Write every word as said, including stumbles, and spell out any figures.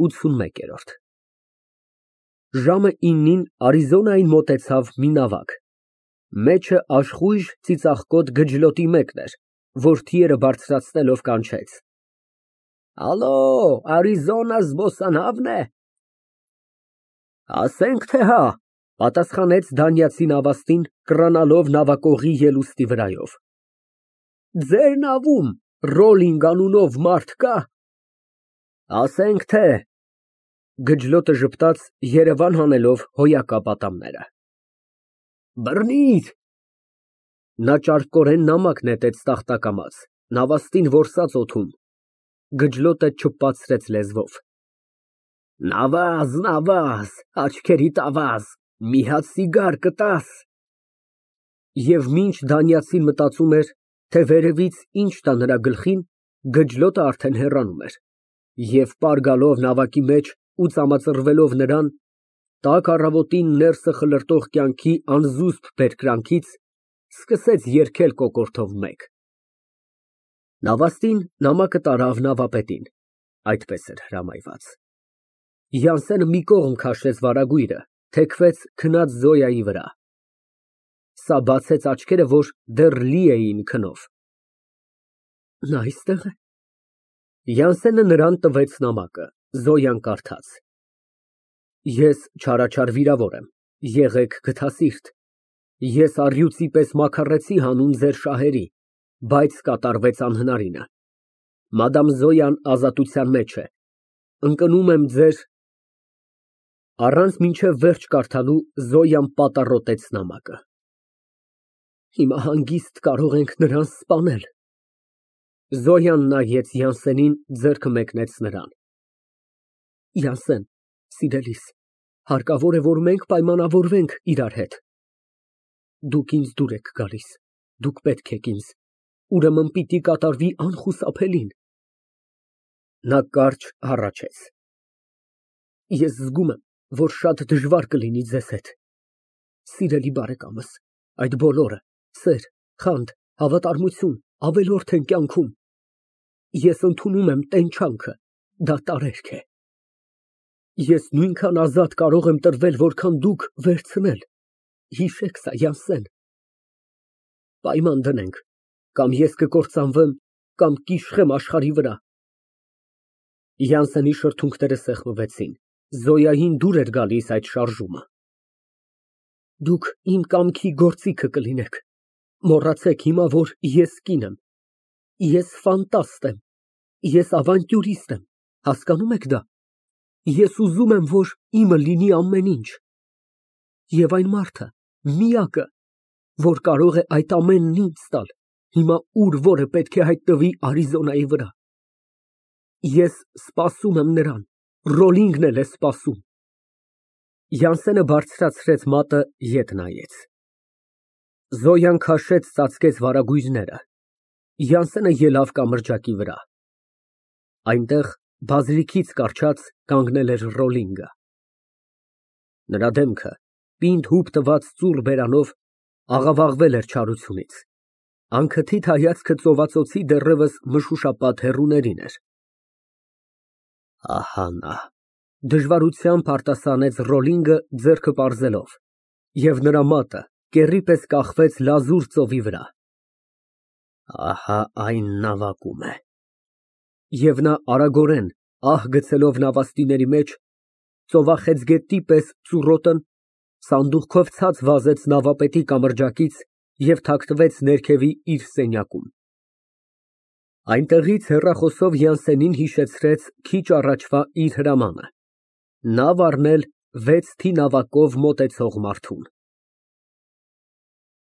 ութսունմեկ։ Ժամը իննին Արիզոնային մոտեցավ մի նավակ, մեջը աշխույժ ծիծաղկոտ գջլոտի մեկն էր, որ թիերը բարձրացնելով կանչեց. Ալո, Արիզոնա զբոսանավն է։ Ասենք թե հա, պատասխանեց դանիացի նավաստին, կռանալով նավակողի ելուստի վրայով։ Ձեր նավում Ռոլինգ անունով մարդ կա։ Ասենք թե։ Գջլոտը ժպտաց, երևան հանելով հոյակապ ատամները։ Բռնիր։ Նա ճարպկորեն նամակ նետեց տախտակամաց, նավաստին որսաց օդում։ Գջլոտը չպացրեց լեզվով։ Նավազ, նավազ, աչքերիդ ավազ, մի հատ սիգար կտաս։ Եվ մինչ դանիացին մտածում էր, թե վերևից ինչ տա նրա գլխին, գջլոտը արդեն հեռանում էր, և պար գալով նավակի մեջ ու ծամածռվելով նրան, տաք առավոտին ներսը խլրտող կյանքի անզուսպ բերկրանքից, սկսեց երգել կոկորդով մեկ։ Նավաստին նամակը տարավ նավապետին, այդպես էր հրամայված։ Յանսենը մի կողմ քաշեց վարագույրը, թեքվեց քնած Զոյայի վրա։ Սա բացեց աչքերը, որ դեռ լի էին քնով։ Նա այստեղ է։ Յանսենը նրան տվեց նամակը, Զոյան կարդաց. Ես չարաչար վիրավոր եմ, եղեք գթասիրտ, ես առյուծի պես մաքարեցի հանուն ձեր շահերի, բայց կատարվեց անհնարինը։ Մադամ Զոյան ազատության մեջ է, ընկնում եմ ձեր… Առանց մինչև վերջ կարդալու Զոյան պատառոտեց նամակը։ Հիմա հանգիստ կարող ենք նրան սպանել։ Զոյան նայեց Յանսենին, ձեռքը մեկնեց նրան։ Յանսեն, սիրելիս, հարկավոր է, որ մենք պայմանավորվենք իրար հետ։ Դուք ինձ դուր եք գալիս, դուք պետք եք ինձ, ուրեմն պիտի կատարվի անխուսափելին։ Նա կարճ հառաչեց։ Ես զգում եմ, որ շատ դժվար կլինի ձեզ հետ։ Սիրելի բարեկամս, այդ բոլորը, սեր, խանդ, հավատարմություն, ավելորդ են կյանքում։ Ես ընդունում եմ տենչանքը, դա տարերք է։ Ես նույնքան ազատ կարող եմ տրվել, որքան դուք վերցնել, հիշեք սա, Յանսեն։ Պայման դնենք, կամ ես կկործանվեմ, կամ կիշխեմ աշխարհի վրա։ Յանսենի շրթունքները սեղմվեցին, Զոյային դուր էր գալիս այդ շարժումը։ Դուք իմ կամքի գործիքը կլինեք, մոռացեք հիմա, որ ես կին եմ, ես ֆանտաստ եմ, ես ավանտյուրիստ եմ, հասկանո՞ւմ եք դա։ Ես ուզում եմ, որ իմը լինի ամեն ինչ։ Եվ այն մարդը, միակը, որ կարող է այդ ամենն ինձ տալ, հիմա ուր որը պետք է հայտնվի Արիզոնայի վրա։ Ես սպասում եմ նրան, Ռոլինգն էլ է սպասում։ Յանսենը բարձրացրեց մատը, ետ նայեց։ Զոյան քաշեց ծածկեց վարագույրները։ Յանսենը ելավ կամրջակի վրա։ Այնտեղ բազրիքից կառչած կանգնել էր Ռոլինգը։ Նրա դեմքը, պինդ հուպ տված ծուռ բերանով, աղավաղվել էր չարությունից։ Անքթիթ հայացքը ծովածոցի դեռևս մշուշապատ հեռուներին էր։ Ահա նա, դժվարությամբ արտասանեց Ռոլինգը, ձեռքը պարզելով, և նրա մատը կեռի պես կախվեց լազուր ծովի վրա։ Ահա այն նավակում է։ Եվ նա արագորեն, ահ գցելով նավաստիների մեջ, ծովախեցգետնի պես ծուռոտն սանդուղքով ցած վազեց նավապետի կամրջակից և թաքնվեց ներքևի իր սենյակում։ Այնտեղից հեռախոսով Յանսենին հիշեցրեց քիչ առաջվա իր հրամանը՝ նավ առնել վեց թի նավակով մոտեցող մարդուն։